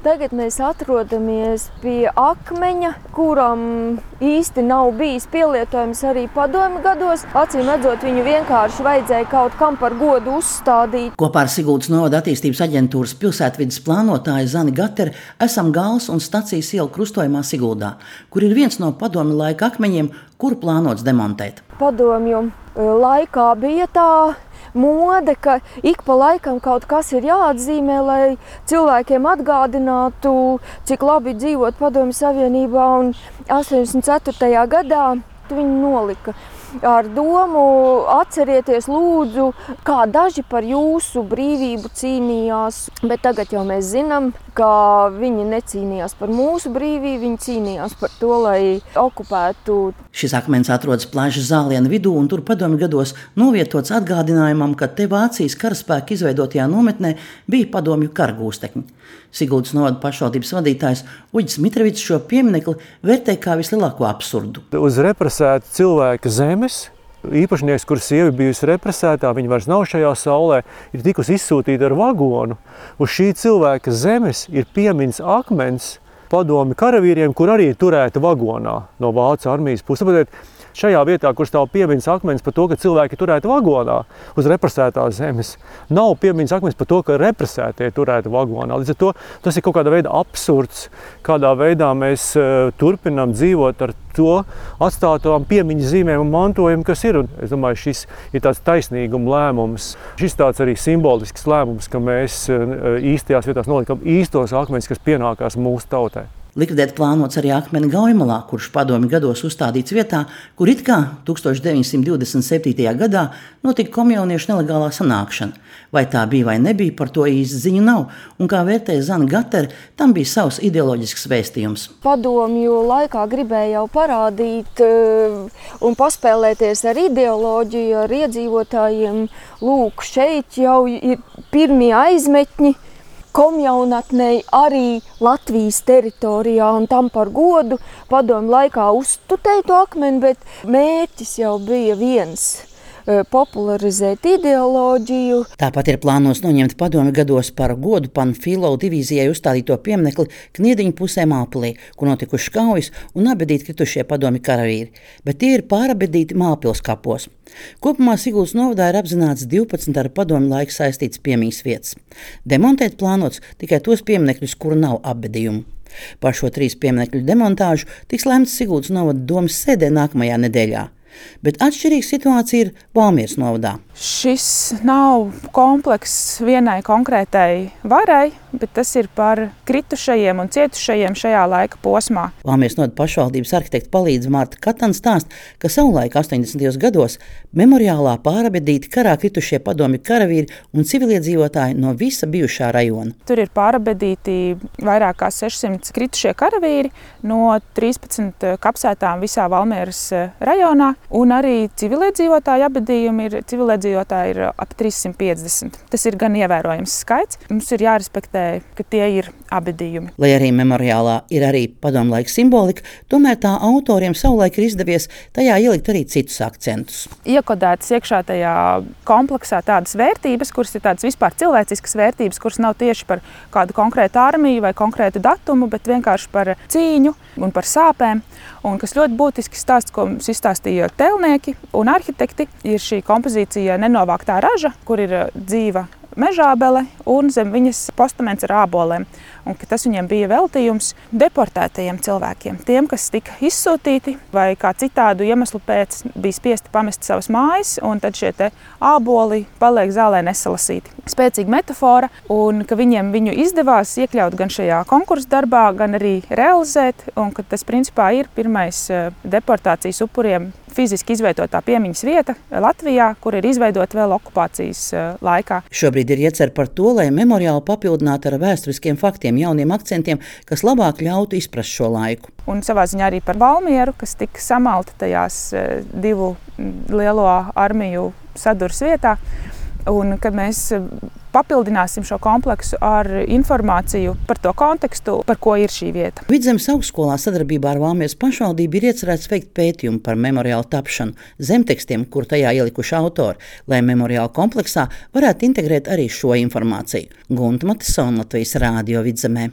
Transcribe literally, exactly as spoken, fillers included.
Tagad mēs atrodamies pie akmeņa, kuram īsti nav bijis pielietojums arī padomju gados. Acīm redzot, viņu vienkārši vajadzēja kaut kam par godu uzstādīt. Kopā ar Siguldas novada attīstības aģentūras pilsētvides plānotāju Zani Gateru esam Gals un stacijas ielu krustojumā Siguldā, kur ir viens no padomju laika akmeņiem, kuru plānots demontēt. Padomju laikā bija tā mode, ka ik pa laikam kaut kas ir jāatzīmē, lai cilvēkiem atgādinātu, cik labi dzīvot Padomju Savienībā, un astoņdesmit ceturtajā gadā viņi nolika ar domu atcerieties lūdzu, kā daži par jūsu brīvību cīnījās, bet tagad jau mēs zinām, ka viņi necīnījās par mūsu brīvību, viņi cīnījās par to, lai okupētu. Šis akmens atrodas Plažas zāliena vidū, un tur padomju gados novietots atgādinājumam, ka te Vācijas karaspēka izveidotajā nometnē bija padomju karagūstekņi. Siguldas novada pašvaldības vadītājs Uģis Mitrovics šo pieminekli vērtē kā vislielāko absurdu. Uz represēta cilvēka zemes īpašnieks, kur sieva bijusi represētā, viņa vairs nav šajā saulē, ir tikusi izsūtīta ar vagonu. Uz šī cilvēka zemes ir piemiņas akmens padomju karavīriem, kur arī turēta vagonā no Vācu armijas puses. Tāpēc šajā vietā, kur stāv piemiņas akmens par to, ka cilvēki turēti vagonā uz represētās zemes, nav piemiņas akmens par to, ka represētie turēti vagonā. Līdz ar to tas ir kaut kāda veida absurds, kādā veidā mēs uh, turpinām dzīvot ar to atstātām piemiņas zīmēm un mantojumu, kas ir. Un es domāju, šis ir tāds taisnīguma lēmums. Šis tāds arī simbolisks lēmums, ka mēs uh, īstajās vietās nolikam īstos akmeņus, kas pienākās mūsu tautai. Likvidēt plānots arī akmeni Gaujamalā, kurš padomju gados uzstādīts vietā, kur it kā tūkstoš deviņsimt divdesmit septītajā gadā notika komjauniešu nelegālā sanākšana. Vai tā bija vai nebija, par to īsti ziņu nav, un kā vērtēja Zana Gatera, tam bija savs ideoloģisks vēstījums. Padomju laikā gribēja jau parādīt un paspēlēties ar ideoloģiju, ar iedzīvotājiem. Lūk, šeit jau ir pirmie aizmetņi komjaunatnei arī Latvijas teritorijā, un tam par godu padomju laikā uztutēja to akmeni, bet mērķis jau bija viens – popularizēt ideoloģiju. Tāpat ir plānos noņemt padomju gados par godu Panfilovas divīzijai uzstādīto pieminekli Kniediņu pusē Mālpilī, kur notikušas kaujas un abedīti kritušie padomju karavīri, bet tie ir pārabedīti Mālpils kapos. Kopumā Siguldas novadā ir apzināts divpadsmit ar padomju laiku saistīts piemiņas vietas. Demontēt plānots tikai tos pieminekļus, kuru nav apbedījumu. Par šo trīs pieminekļu demontāžu tiks lemts Siguldas novada domas sēdē nākamajā nedēļā. Bet atšķirīga situācija ir Valmieras novadā. Šis nav komplekss vienai konkrētai varai, bet tas ir par kritušajiem un cietušajiem šajā laika posmā. Valmieras novada pašvaldības arhitekta palīdze Marta Katana stāsta, ka savulaik astoņdesmitajos gados memoriālā pārabedīti karā kritušie padomju karavīri un civiliedzīvotāji no visa bijušā rajona. Tur ir pārabedīti vairāk kā sešsimt kritušie karavīri no trīspadsmit kapsētām visā Valmieras rajonā. Un arī civiliedzīvotāju abedījumi ir, civiliedzīvotāji ir ap trīssimt piecdesmit. Tas ir gan ievērojams skaits. Mums ir jārespektē, ka tie ir abedījumi. Lai arī memoriālā ir arī padomlaika simbolika, tomēr tā autoriem savulaik ir izdevies tajā ielikt arī citus akcentus. Iekodētas iekšā tajā kompleksā tādas vērtības, kuras ir tādas vispār cilvēciskas vērtības, kuras nav tieši par kādu konkrētu armiju vai konkrētu datumu, bet vienkārši par cīņu un par sāpēm. Un kas ļoti būtiski stāsts, ko mums izstāstīja telnieki un arhitekti, ir šī kompozīcija Nenovāktā raža, kur ir dzīva mežābele un zem viņas postaments ar ābolēm. Un ka tas viņiem bija veltījums deportētajiem cilvēkiem, tiem, kas tika izsūtīti vai kā citādu iemeslu pēc bija spiesti pamest savas mājas, un tad šie te āboli paliek zālē nesalasīti. Spēcīga metafora, un ka viņiem viņu izdevās iekļaut gan šajā konkursu darbā, gan arī realizēt, un ka tas principā ir pirmais deportācijas upuriem fiziski izveidotā piemiņas vieta Latvijā, kur ir izveidota vēl okupācijas laikā. Šobrīd ir iecer par to, lai memoriālu papildinātu ar vēsturiskiem faktiem, jauniem akcentiem, kas labāk ļautu izprast šo laiku. Un savā ziņā arī par Valmieru, kas tika samalta tajās divu lielo armiju sadurs vietā. Un kad mēs papildināsim šo kompleksu ar informāciju par to kontekstu, par ko ir šī vieta. Vidzemes augstskolā sadarbībā ar Valmieras pašvaldību ir iecerēts veikt pētījumu par memoriālu tapšanu, zemtekstiem, kur tajā ielikuši autori, lai memoriālu kompleksā varētu integrēt arī šo informāciju. Gunta Matisona, Latvijas Rādio Vidzemē.